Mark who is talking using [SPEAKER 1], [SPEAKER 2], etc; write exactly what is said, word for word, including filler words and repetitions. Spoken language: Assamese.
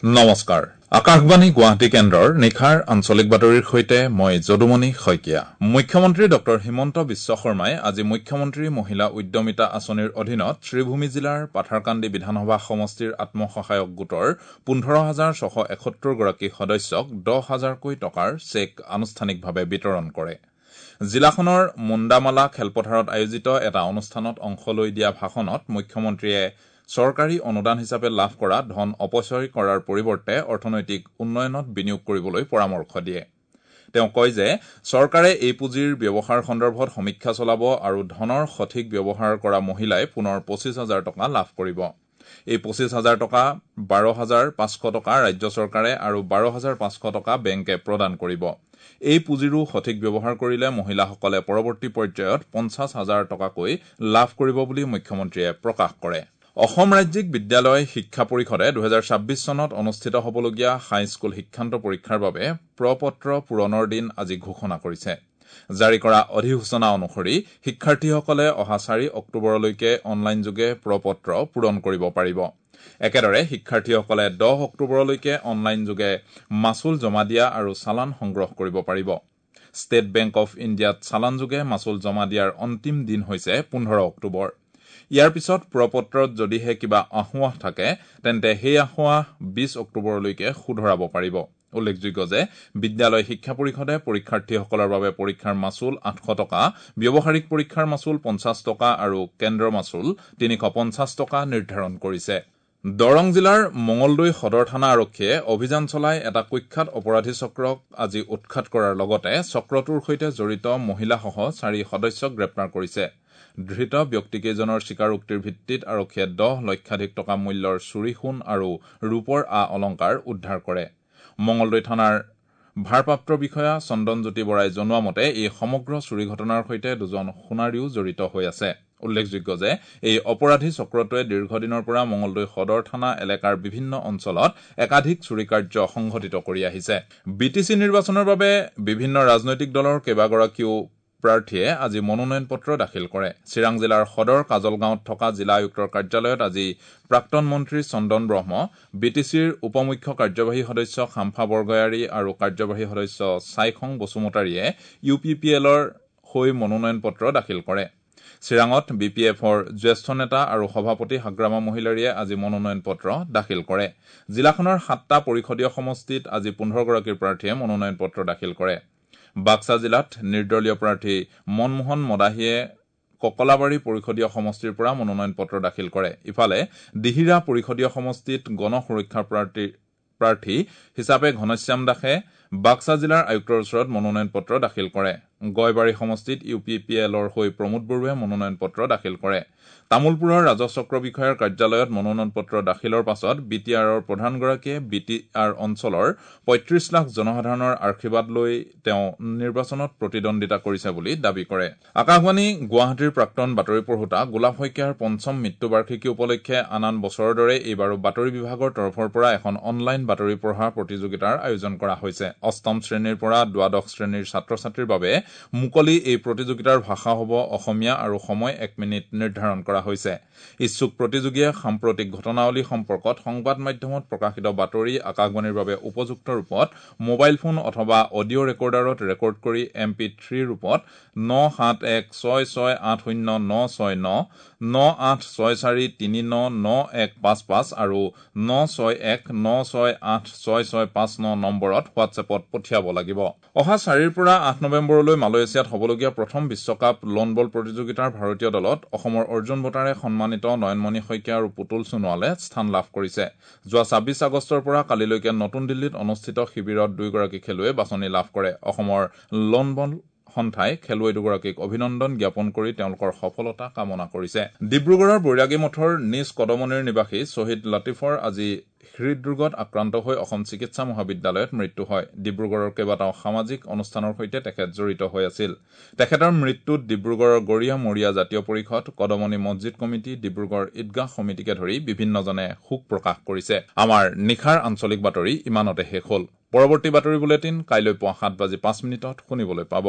[SPEAKER 1] নমস্কাৰ, আকাশবাণী গুৱাহাটী কেন্দ্ৰৰ নিশাৰ আঞ্চলিক বাতৰিৰ সৈতে মই যদুমণি শইকীয়া। মুখ্যমন্ত্ৰী ডক্টৰ হিমন্ত বিশ্ব শৰ্মাই আজি মুখ্যমন্ত্ৰী মহিলা উদ্যমিতা আঁচনিৰ অধীনত শ্ৰীভূমি জিলাৰ পাথাৰকান্দি বিধানসভা সমষ্টিৰ আত্মসহায়ক গোটৰ পোন্ধৰ হাজাৰ ছশ এসত্তৰগৰাকী সদস্যক দহ হাজাৰকৈ টকাৰ চেক আনুষ্ঠানিকভাৱে বিতৰণ কৰে। জিলাখনৰ মুণ্ডামালা খেলপথাৰত আয়োজিত এটা অনুষ্ঠানত অংশ লৈ দিয়া ভাষণত মুখ্যমন্ত্ৰীয়ে চৰকাৰী অনুদান হিচাপে লাভ কৰা ধন অপচয় কৰাৰ পৰিৱৰ্তে অৰ্থনৈতিক উন্নয়নত বিনিয়োগ কৰিবলৈ পৰামৰ্শ দিয়ে। তেওঁ কয় যে চৰকাৰে এই পুঁজিৰ ব্যৱহাৰ সন্দৰ্ভত সমীক্ষা চলাব আৰু ধনৰ সঠিক ব্যৱহাৰ কৰা মহিলাই পুনৰ পঁচিছ হাজাৰ টকা লাভ কৰিব। এই পঁচিছ হাজাৰ টকা বাৰ হাজাৰ পাঁচশ টকা ৰাজ্য চৰকাৰে আৰু বাৰ হাজাৰ পাঁচশ টকা বেংকে প্ৰদান কৰিব। এই পুঁজিৰো সঠিক ব্যৱহাৰ কৰিলে মহিলাসকলে পৰৱৰ্তী পৰ্যায়ত পঞ্চাছ হাজাৰ টকাকৈ লাভ কৰিব বুলি মুখ্যমন্ত্ৰীয়ে প্ৰকাশ কৰে। অসম ৰাজ্যিক বিদ্যালয় শিক্ষা পৰিষদে দুহেজাৰ ছাব্বিছ চনত অনুষ্ঠিত হ'বলগীয়া হাইস্কুল শিক্ষান্ত পৰীক্ষাৰ বাবে প্ৰপত্ৰ পূৰণৰ দিন আজি ঘোষণা কৰিছে। জাৰি কৰা অধিসূচনা অনুসৰি শিক্ষাৰ্থীসকলে অহা চাৰি অক্টোবৰলৈকে অনলাইনযোগে প্ৰপত্ৰ পূৰণ কৰিব পাৰিব। একেদৰে শিক্ষাৰ্থীসকলে দহ অক্টোবৰলৈকে অনলাইনযোগে মাচুল জমা দিয়া আৰু চালান সংগ্ৰহ কৰিব পাৰিব। ষ্টেট বেংক অৱ ইণ্ডিয়াত চালানযোগে মাচুল জমা দিয়াৰ অন্তিম দিন হৈছে পোন্ধৰ অক্টোবৰ। ইয়াৰ পিছত প্ৰপত্ৰত যদিহে কিবা আসোঁৱাহ থাকে তেন্তে সেই আসোঁৱাহ বিশ অক্টোবৰলৈকে শুধৰাব পাৰিব। উল্লেখযোগ্য যে বিদ্যালয় শিক্ষা পৰিষদে পৰীক্ষাৰ্থীসকলৰ বাবে পৰীক্ষাৰ মাচুল আঠশ টকা, ব্যৱহাৰিক পৰীক্ষাৰ মাচুল পঞ্চাছ টকা আৰু কেন্দ্ৰ মাচুল তিনিশ পঞ্চাছ টকা নিৰ্ধাৰণ কৰিছে। দৰং জিলাৰ মঙলদৈ সদৰ থানা আৰক্ষীয়ে অভিযান চলাই এটা কুখ্যাত অপৰাধী চক্ৰক আজি উৎখাত কৰাৰ লগতে চক্ৰটোৰ সৈতে জড়িত মহিলাসহ চাৰি সদস্যক গ্ৰেপ্তাৰ কৰিছে। ধৃত ব্যক্তিকেইজনৰ স্বীকাৰোক্তিৰ ভিত্তিত আৰক্ষীয়ে দহ লক্ষাধিক টকা মূল্যৰ চুৰি সোণ আৰু ৰূপৰ আ অলংকাৰ উদ্ধাৰ কৰে। মঙলদৈ থানাৰ ভাৰপ্ৰাপ্ত বিষয়া চন্দনজ্যোতি বৰাই জনোৱা মতে এই সমগ্ৰ চুৰি ঘটনাৰ সৈতে দুজন সোণাৰীও জড়িত হৈ আছে। উল্লেখযোগ্য যে এই অপৰাধী চক্ৰটোৱে দীৰ্ঘদিনৰ পৰা মঙলদৈ সদৰ থানা এলেকাৰ বিভিন্ন অঞ্চলত একাধিক চুৰি কাৰ্য সংঘটিত কৰি আহিছে। বি টি চি নিৰ্বাচনৰ বাবে বিভিন্ন ৰাজনৈতিক দলৰ কেইবাগৰাকীও প্ৰাৰ্থীয়ে আজি মনোনয়ন পত্ৰ দাখিল কৰে। চিৰাং জিলাৰ সদৰ কাজলগাঁৱত থকা জিলা আয়ুক্তৰ কাৰ্যালয়ত আজি প্ৰাক্তন মন্ত্ৰী চন্দন ব্ৰহ্ম, বি টি চিৰ উপ মুখ্য কাৰ্যবাহী সদস্য খাম্ফা বৰগয়াৰী আৰু কাৰ্যবাহী সদস্য ছাইখং বসুমতাৰীয়ে ইউ পি পি এলৰ হৈ মনোনয়ন পত্ৰ দাখিল কৰে। চিৰাঙত বি পি এফৰ জ্যেষ্ঠ নেতা আৰু সভাপতি হাগ্ৰামা মহিলাৰীয়ে আজি মনোনয়ন পত্ৰ দাখিল কৰে। জিলাখনৰ সাতটা পৰিষদীয় সমষ্টিত আজি পোন্ধৰগৰাকী প্ৰাৰ্থীয়ে মনোনয়ন পত্ৰ দাখিল কৰে। বাক্সা জিলাত নিৰ্দলীয় প্ৰাৰ্থী মনমোহন মদাহীয়ে ককলাবাৰী পৰিষদীয় সমষ্টিৰ পৰা মনোনয়ন পত্ৰ দাখিল কৰে। ইফালে দিহিৰা পৰিষদীয় সমষ্টিত গণ সুৰক্ষা প্ৰাৰ্থী হিচাপে ঘনশ্যাম দাসে বাক্সা জিলাৰ আয়ুক্তৰ ওচৰত মনোনয়ন পত্ৰ দাখিল কৰে। গয়বাৰী সমষ্টিত ইউ পি পি এলৰ হৈ প্ৰমোদ বৰুৱাই মনোনয়ন পত্ৰ দাখিল কৰে। তামুলপুৰৰ ৰাজহ চক্ৰ বিষয়াৰ কাৰ্যালয়ত মনোনয়ন পত্ৰ দাখিলৰ পাছত বি টি আৰৰ প্ৰধানগৰাকীয়ে বি টি আৰ অঞ্চলৰ পঁয়ত্ৰিশ লাখ জনসাধাৰণৰ আশীৰ্বাদ লৈ তেওঁ নিৰ্বাচনত প্ৰতিদ্বন্দ্বিতা কৰিছে বুলি দাবী কৰে। আকাশবাণী গুৱাহাটীৰ প্ৰাক্তন বাতৰি পঢ়োতা গোলাপ শইকীয়াৰ পঞ্চম মৃত্যুবাৰ্ষিকী উপলক্ষে আন আন বছৰৰ দৰে এইবাৰো বাতৰি বিভাগৰ তৰফৰ পৰা এখন অনলাইন বাতৰি পঢ়া প্ৰতিযোগিতাৰ আয়োজন কৰা হৈছে। অষ্টম শ্ৰেণীৰ পৰা দ্বাদশ শ্ৰেণীৰ ছাত্ৰ ছাত্ৰীৰ বাবে মুকলি এই প্ৰতিযোগিতাৰ ভাষা হ'ব অসমীয়া আৰু সময় এক মিনিট নিৰ্ধাৰণ কৰা হৈছে। ইচ্ছুক প্ৰতিযোগীয়ে সাম্প্ৰতিক ঘটনাৱলী সম্পৰ্কত সংবাদ মাধ্যমত প্ৰকাশিত বাতৰি আকাশবাণীৰ বাবে উপযুক্ত ৰূপত মোবাইল ফোন অথবা অডিঅ' ৰেকৰ্ডাৰত ৰেকৰ্ড কৰি এম পি থ্ৰী ৰূপত ন সাত এক ছয় ছয় আঠ শূন্য ন ছয় ন, ন আঠ ছয় চাৰি তিনি ন ন এক পাঁচ পাঁচ আৰু ন ছয় এক ন ছয় আঠ ছয় ছয় পাঁচ ন নম্বৰত হোৱাটছএপত পঠিয়াব লাগিব। অহা চাৰিৰ পৰা আঠ নৱেম্বৰলৈ মালয়েছিয়াত হ'বলগীয়া প্ৰথম বিশ্বকাপ লন বল প্ৰতিযোগিতাৰ ভাৰতীয় দলত অসমৰ অৰ্জুন বঁটাৰে সন্মানিত নয়নমণি শইকীয়া আৰু পুতুল সোণোৱালে স্থান লাভ কৰিছে। যোৱা ছাব্বিছ আগষ্টৰ পৰা কালিলৈকে নতুন দিল্লীত অনুষ্ঠিত শিবিৰত দুয়োগৰাকী খেলুৱৈয়ে বাছনি লাভ কৰে। অসমৰ লন বল সন্থাই খেলুৱৈ দুগৰাকীক অভিনন্দন জ্ঞাপন কৰি তেওঁলোকৰ সফলতা কামনা কৰিছে। ডিব্ৰুগড়ৰ বৈৰাগী মঠৰ নিজ কদমনিৰ নিবাসী শ্বহীদ লতিফৰ আজি হৃদৰোগত আক্ৰান্ত হৈ অসম চিকিৎসা মহাবিদ্যালয়ত মৃত্যু হয়। ডিব্ৰুগড়ৰ কেইবাটাও সামাজিক অনুষ্ঠানৰ সৈতে তেখেত জড়িত হৈ আছিল। তেখেতৰ মৃত্যুত ডিব্ৰুগড়ৰ গৰীয়া মৰীয়া জাতীয় পৰিষদ, কদমনি মছজিদ কমিটি, ডিব্ৰুগড় ঈদগাহ সমিতিকে ধৰি বিভিন্নজনে শোক প্ৰকাশ কৰিছে। আমাৰ নিশাৰ আঞ্চলিক বাতৰি ইমানতে শেষ হ'ল। পৰৱৰ্তী বাতৰি বুলেটিন কাইলৈ পুৱা সাত বাজি পাঁচ মিনিটত শুনিবলৈ পাব।